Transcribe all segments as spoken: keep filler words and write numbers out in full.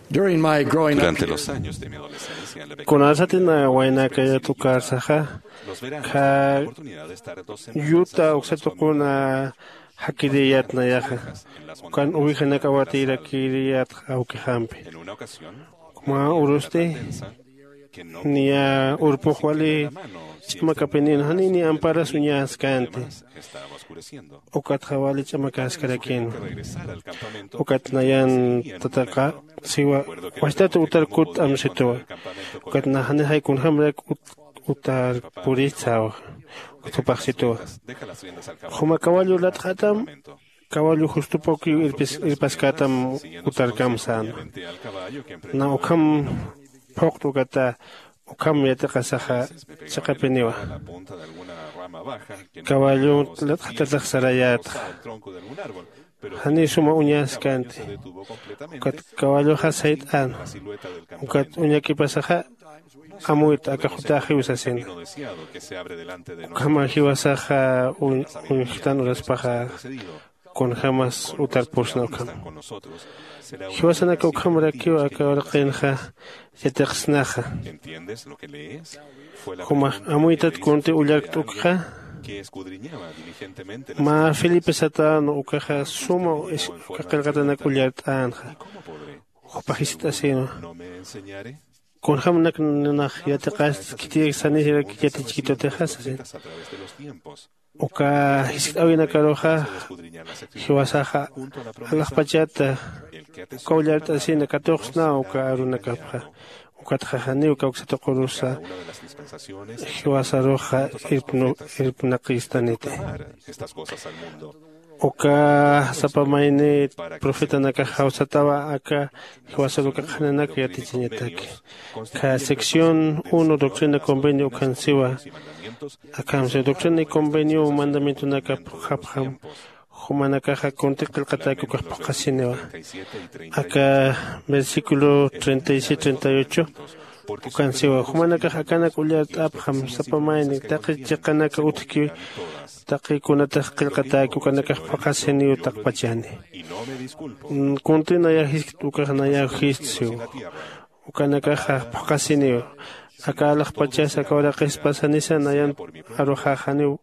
Durante los años de mi adolescencia, en la pequeña kunasatinawaynakayatukarsaxa, kha yuta uksatuquna jakiriyat nayaxa, ukan uwijanak awatirakiriyat awkixampi. Mä urusti niya urpux wali ch'amakapinïn, janiy ni amparas uñäskänti. Ukatxa wali ch'amakaskarakïn. Ukat nayan tataqa siwa, wachtat utar kutt'am situwa. Ukat na janixay kunjämarak utar puristsawa. Ukat jupax situwa, juma kawallu latxatam, kawallu justupawkiw irpaskätam utarkam säna. Na ukham phuqt'ukata ukham yatiqasaxa chiqapiniwa. Kawallu latxatatax sarayätxa, janiy suma uñaskänti. Ukat kawalluxa sayt'äna. Ukat uñakipasaxa amuyta aka jutaxiw sasina. Ukhama jiwasaxa uñjtan uraspaxa kunjämas utarpusna ukham. Jiwasanaka ukhamarakiw aka uraqinxa yatiqsnaxa. Jumax amuytat kunti ullarkt'ukxa. Mä felipe satäna ukaxa suma uka qillqatanak ullart'änxa. Jupax jiskt'asïnwa, kunjämanak nax yatiqasti khitiyak sanisirak yatichkitutixa sasina. Uka jiskt'äwinakaruxa jiwasaxa alaxpachata uka ullart'asina katuqsnaw uka arunakapxa. Ukatxa janiw kawksa tuqurusa jiwasaruxa irpnaqistaniti. Uka sapa mayni profetanakax jawsatawa aka jiwasar uka qhananak yatichañataki. Kha sección uno doctrina convenio ukhan siwa. Akham siwa doctrina y convenio mandamientonakap japjam jumanakaxa kunti qillqatäki ukax phuqhasiniwa. Aka versículo treinta y siete treinta y ocho ukan siwa, jumanakax akanak ullart'apxam sapa mayni taqi chiqanaka utjki, taqi kunatax qillqatäki ukanakax phuqhasiniw taqpachani. Kunti nayaw jiskt ukax nayaw jiskt siw. Ukanakaxa phuqhasiniw. Aka alaxpachas aka uraqis pasanisa nayan aruxax janiw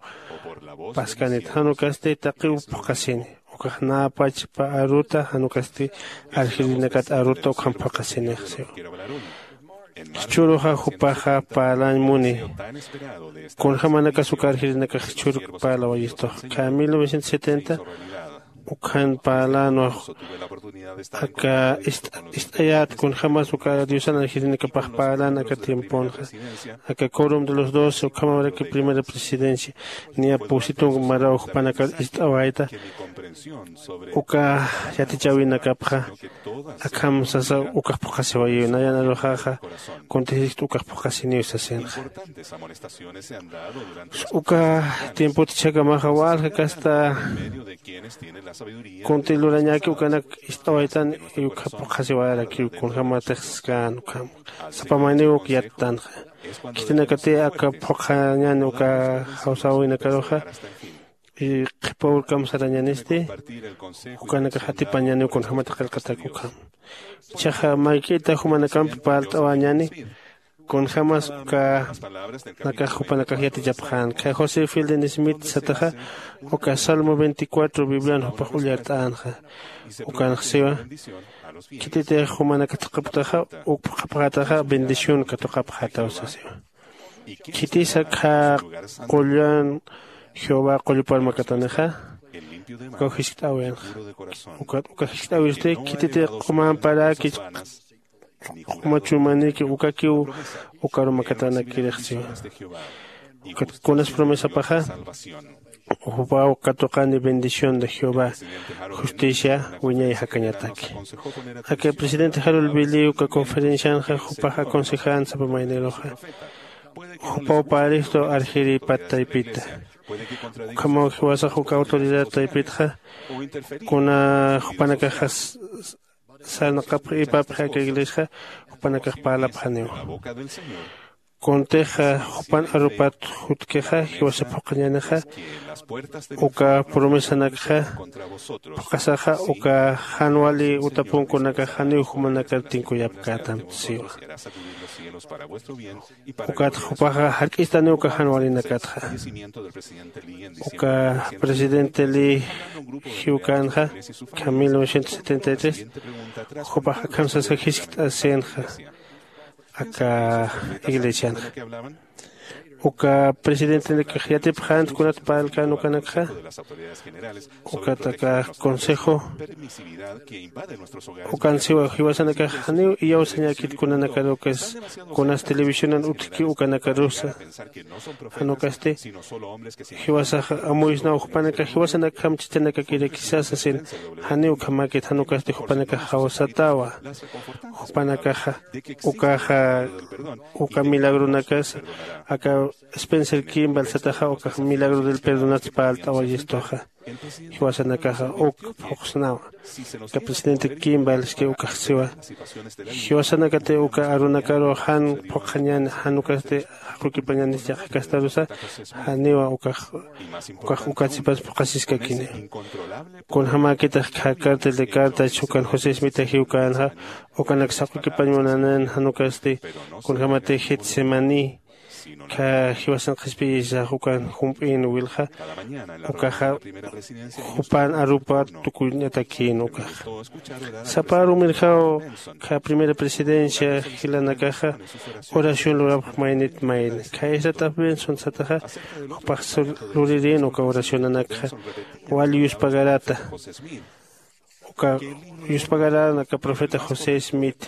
paskanit, jan ukasti taqiw phuqhasini. Ukax näpachpa aruta jan ukasti arjirinakat aruta ukham phuqhasinix siw. Jichhüruxa jupaxa parlañ muni kunjämanakas uka arjirinakax jichhüruk parlawayistu. Kha mil novecientos setenta ukhan parlana aka ist'ayät kunjämas uka diosan arjirinakapax parlana aka tiemponxa. Aka corum de los doce ukhamaraki primera presidencia niya pusitung maraw jupanakar ist'awayta. Uka yatichäwinakapxa akham sasa ukax phuqhasiwayiw nayan aruxaxa kunti jiskt ukax phuqhasiniw sasinxa. Uka tiempot jichhakamaxa walja kasta kunti lurañäki ukanak ist'awaytan y ukha phuqhasiwayarakiw kunjämatix skän ukham sapa mayniw uk yattanxa. Khitinakati aka phuqhañäni uka jawsäwinakaruxa qhipa urkam sarañänisti ukanakax atipañäniw kunjämat qillqatak ukham. Jichhaxa mayk'ita jumanakampi parlt'awäñäni kunjämas ukanakax jupanakax yatichapxän. Kha josé fieldin smith sataxa uka salmo veinticuatro biblian jupax ullart'änxa. Ukanx siwa, khititix jumanaka thaqhaptaxa uk phuqhapxätaxa bendición katuqapxätaw sasiwa. Khitisa kha qullan jehová qullupar makatanixa ukaw jiskt'äwinxa. Ukat uka jiskt'äwisti khititix q'umamparäki q'uma chumanïki ukakiw ukaru makatanakirix siwa. Ukat kunas promesapaxa jupaw katuqani bendición de jehová justicia wiñay jakañataki. Aka presidente jarol biliw uka conferencianxa jupax aconsejän sapa mayniruxa jupaw paristu arjiripat taypita. Ukhamaw jiwasax uka autoridad taypitxa kuna jupanakaxa sarnaqapxi ipapxi aka iglesiaxa jupanakax parlapxaniwa. Kuntixa jupan arupat jutkixa jiwasa phuqhañänixa, uka promesanakxa phuqhasaxa uka jan wali utapunkunakax janiw jumanakar tinkuyapkätam siwa. Ukat jupaxa jark'istaniw uka jan walinakatxa. Uka presidente li jiwkänxa, ukham mil novecientos setenta y tres, jupax akham sasa jiskt'asïnxa aka iglesianxa. Uka presidentenakax yatipxänti kunat parlkän ukanakxa. Ukat aka consejo ukan siwa jiwasanakax janiw iyawsañäkit kunanakarukis, kunas televisionan utjki ukanakarusa. Jan ukasti jiwasax amuyisnaw jupanakax jiwasanakjam chichanakakiraki sasa sasin. Janiw ukhamäkit, jan ukasti jupanakax jawsatawa. Jupanakaxa ukaxa uka milagronakasa aka Spencer Kimball sataxa ukax milagro del perdonats parlt'awayistuxa. Jiwasanakaxa uk phuqsnawa. Aka presidente Kimball iski ukax siwa, jiwasanakati uka arunakaru jan phuqhañäni, jan ukasti jaqukipañänis yaqhakastarusa, janiwa ukax ukax ukatsipas phuqhasiskakini. Kunjamäkitix kha cartel de carta chukan José Smita jiwkänxa, ukanak saqukipañ munanan jan ukasti kunjamati Getsemaní kha jiwasan qhispiyisax ukan jump'in wilxa, ukaxa jupan arupa tukuñatakïn ukaxa. Sapa arumirjaw kha primera presidencia jilanakaxa oración lurapx maynit mayni. Kha Ezra Taft Benson sataxa jupax lurirïn uka oracionanakxa wal yuspagarata. Uka yuspagarän aka profeta José Smith.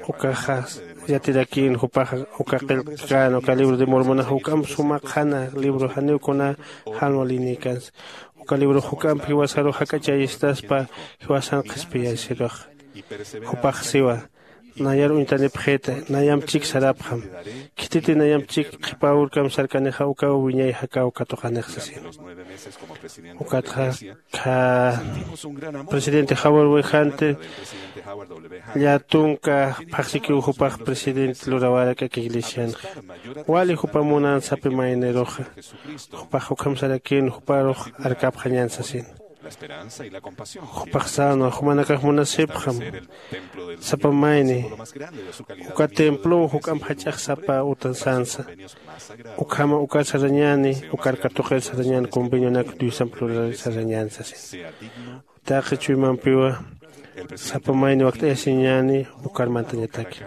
Ukaxa yatirakïn jupaxa uka qillqkän uka libro de Mormonax juk'amp suma qhana libro janiw kuna jan walinïkänsa. Uka librox juk'amp jiwasaru jak'achayistaspa jiwasan qhispiyasirux. Jupax siwa, nayar uñtanipxita, nayamp chik sarapxam. Khititi nayamp chik qhipa urkamp sarkanixa ukaw wiñay jakaw katuqanix sasin. Ukatxa kha presidente Howard W. Hunter llätunka phaxsikiw jupax presidente lurawärak aka iglesianxa. Wali jupa munan sapi mayniruxa. Jupax ukham sarakïn juparux arkapxañän sasin. Jupax sänwa, jumanakax munasipxam sapa mayni uka templow juk'amp jach'ax sapa utan sänsa. Ukhama ukar sarañäni, ukar katuqir sarañäni convenionak Diosamp lurar sarañäni sasin. Taqi chuymampiwa sapa mayni wakt'ayasiñäni ukar mantañataki.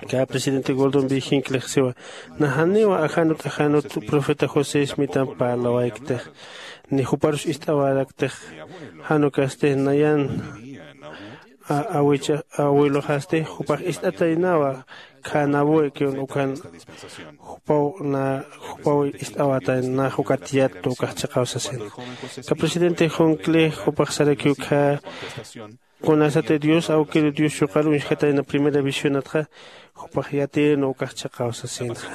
Kä presidente Gordon B. Hincklix siwa, na janiwa ajanut ajanut profeta José Smithamp parlawaykitix, ni juparus ist'awaraktix. Jan ukasti nayan awicha awiluxasti jupax ist'ataynawa. Khanawi kiwn ukan jupaw na jupaw ist'awatayna ukat yattu ukax chiqaw sasin. Ka presidente Hincklix jupax sarakiw kha kunasati Dios awkiru Dios yuqar uñjkatayna primera visionatxa jupax yatiynu ukax chiqaw sasinxa.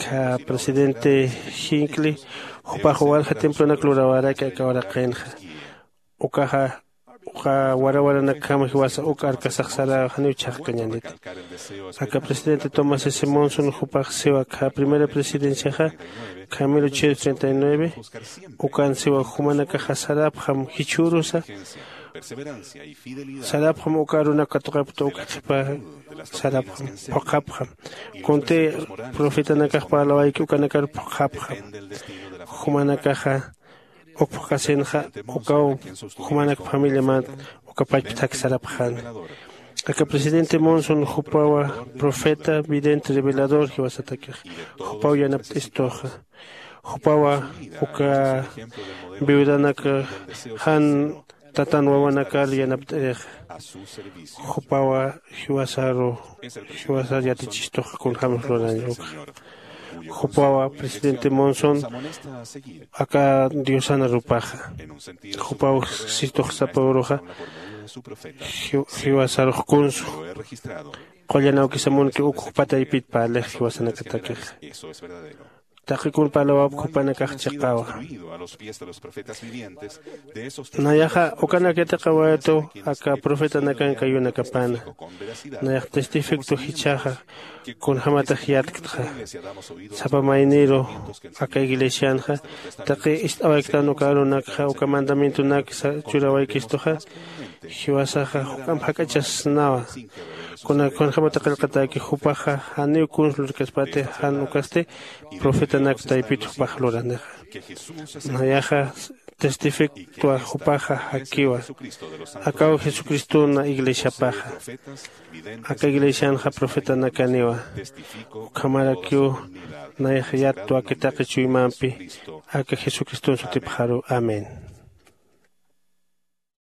Kha presidente Hincklix jupax walja templonak lurawäraki aka uraqinxa. Ukaxa uka warawaranakjama jiwasa uk arkasax saraw janiw chhaqkañäniti. Aka presidente Thomas S Monson jupax siwa kha primera presidenciaxa kha mil ochocientos treinta y nueve. Ukan siwa jumanakaxa sarapxam jichhürusa sarapxam uka arunak katuqapkta uka qhipa sarapxam phuqhapxam. Kunti profetanakax parlawayki ukanakar phuqhapxam. Jumanakaxa uk phuqhasinxa ukaw jumanak familiamant uka pachpthak sarapxäna. Aka presidente Monson jupawa profeta vidente revelador jiwasatakix. Jupaw yanapt'istuxa. Jupawa uka viudanak jan tatan wawanakar yanapt'irixa. Jupawa jiwasaru jiwasar yatichistuxa kunjämas luraña ukxa. Jupawa presidente Monson aka diosana rupaxa. Jupaw sistux sapa uruxa jiwasarux kunsu. Qullan awkisa munki uk jupa taypit parlix jiwasanakatakixa. taqi kun parlawapk jupanakax chiqawa. Nayaxa ukanak yatiqawaytu aka profetanakan kayunakapana. Nayax testificto jichhaxa kunjämatix yatktxa. Sapa mayniru aka iglesianxa taqi ist'awayktan uka arunakxa uka mandamientonak churawaykistuxa, jiwasaxa juk'amp jak'achasnawa. Kunak kunjämata qillqatäki jupaxa janiw kuns lurkaspati jan ukasti profetanak taypit jupax luranixa. Nayaxa testifiktwa jupaxa jakiwa. Akaw jesucristona iglesiapaxa. Aka iglesianxa profetanakaniwa. Ukhamarakiw nayax yattwa aka taqi chuymampi aka jesucriston sutipxaru. Amén.